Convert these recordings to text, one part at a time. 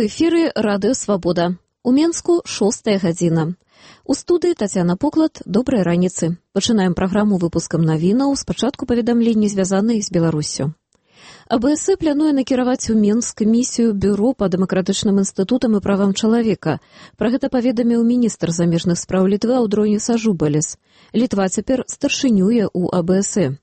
У эфіры Радыё Свабода. У Менску 6 гадзіна. У студыі Тацяна Поклад. Добрай раніцы. Пачынаем праграму выпускам навінаў, спачатку паведамленні, звязаныя з Беларуссю. АБС плануе накіраваць у Менск місію Бюро па дэмакратычным інстытутам і правам чалавека. Пра гэта паведаміў міністр замежных спраў Літвы Аўдроніс Ажубалес. Літва цяпер старшынюе ў АБС.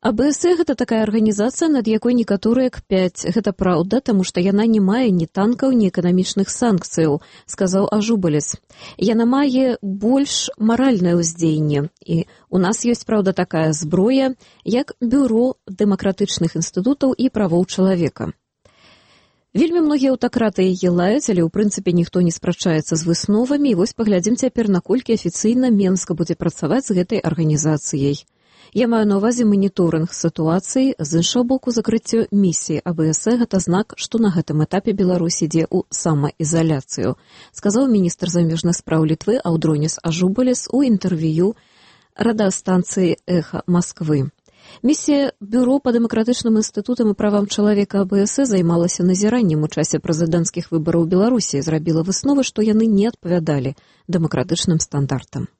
АБС – гэта такая арганізацыя, над якой некаторыя кпяць. Гэта праўда, таму што яна не мае ні танкаў, ні эканамічных санкцыяў, сказаў Ажубалес. Яна мае больш маральнае ўздзеянне. І у нас ёсць, праўда, такая зброя, як Бюро дэмакратычных інстытутаў і правоў чалавека. Вельмі многія аўтакраты яе лаюць, але ў прынцыпе ніхто не спрачаецца з высновамі. І вось паглядзім цяпер, наколькі афіцыйна Менска будзе працаваць з гэтай арганізацыяй. Я маю на ўвазе маніторынг сітуацыі, з іншага боку закрыццё місіі АБС – гэта знак, што на гэтым этапе Беларусь ідзе ў самаізаляцыю, сказаў міністр замежных спраў Літвы Аўдроніс Ажубалес у інтэрв'ю радыёстанцыі «Эхо Москвы». Місія Бюро па дэмакратычным інстытутам і правам чалавека АБС займалася назіраннем у часе прэзідэнцкіх выбараў Беларусі і зрабіла высновы, што яны не адпавядалі дэмакратычным стандартам.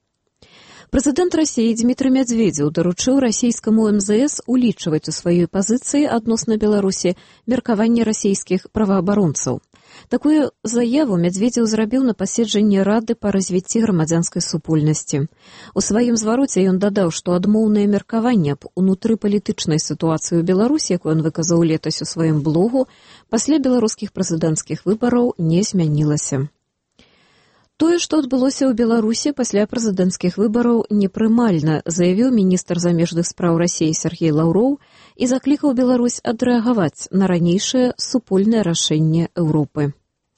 Прэзідэнт Расіі Дмітрый Медведзеў даручыў расійскаму МЗС улічваць у сваёй пазіцыі адносна Беларусі меркаванне расійскіх праваабаронцаў. Такую заяву Медведзеў зрабіў на паседжанні Рады па развіцці грамадзянскай супольнасці. У сваім звароце ён дадаў, што адмоўнае меркаванне аб унутрыпалітычнай сітуацыі ў Беларусі, якую ён выказаў летась у сваім блогу, пасля беларускіх прэзідэнцкіх выбараў не змянілася. Тое, што адбылося ў Беларусі пасля прэзідэнцкіх выбараў, непрымальна, заявіў міністр замежных спраў Расіі Сергей Лаўроў і заклікаў Беларусь адрэагаваць на ранейшее супольное рашэнне Европы.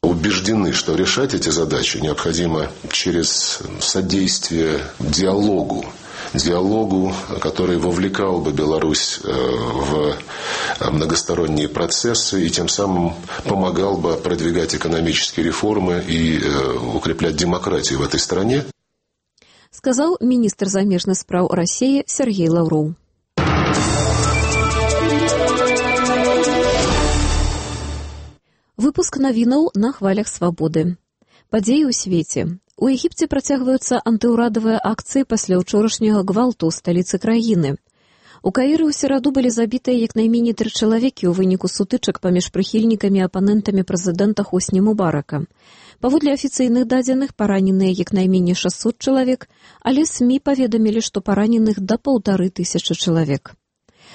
Убеждены, что решать эти задачи необходимо через содействие диалогу, который вовлекал бы Беларусь в многосторонние процессы и тем самым помогал бы продвигать экономические реформы и укреплять демократию в этой стране. Сказал министр замежных спраў России Сергей Лаўроў. Выпуск навінаў на хвалях свабоды. Падзеі ў свеце. У Егіпце працягваюцца антыўрадавыя акцыі пасля ўчорашняга гвалту ў сталіцы краіны. У Каіры ў сераду былі забітыя як найменей 3 чалавекі ў выніку сутычак паміж прыхільнікамі і апанентамі прэзідэнта Хосні Мубарака. Паводле афіцыйных дадзеных параненыя як найменей 600 чалавек, але СМІ паведамілі, што параненых да 1500 чалавек.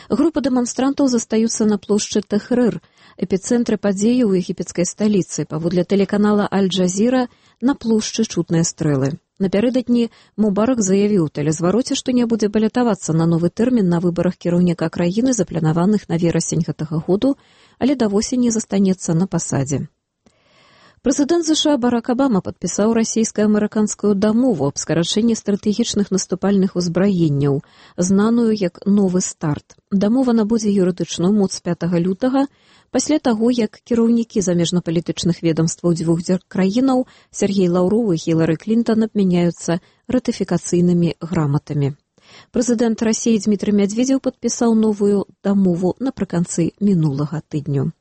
Група дэманстрантаў застаюцца на плошчы Тэхрыр, эпіцэнтры падзеі ў егіпецкай сталіцы. Паводле тэлеканала Аль-Джазіра на плошчы чутныя стрэлы. Напярэдадні Мубарак заявіў у тэлезвароце, што не будзе балятавацца на новы тэрмін на выбарах кіраўніка краіны, запланаваных на верасень гэтага году, але да восені застанецца на пасадзе. Прэзідэнт США Барак Абама падпісаў расійска-амерыканскую дамову аб скарачэнні стратэгічных наступальных узбраенняў, знаную як «Новы старт». Дамова набудзе юрыдычную моц 5 лютага, пасля таго, як кіраўнікі замежнапалітычных ведомстваў дзвюх краінаў Сергей Лаўроў і Хілары Клінтон абмяняюцца ратыфікацыйнымі граматамі. Прэзідэнт Расіі Дмітрый Медведзеў падпісаў новую дамову напрыканцы мінулага тыдню.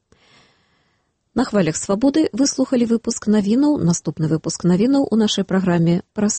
На хвалях свабоды выслухалі выпуск навінаў. Наступны выпуск навінаў у нашай праграме праз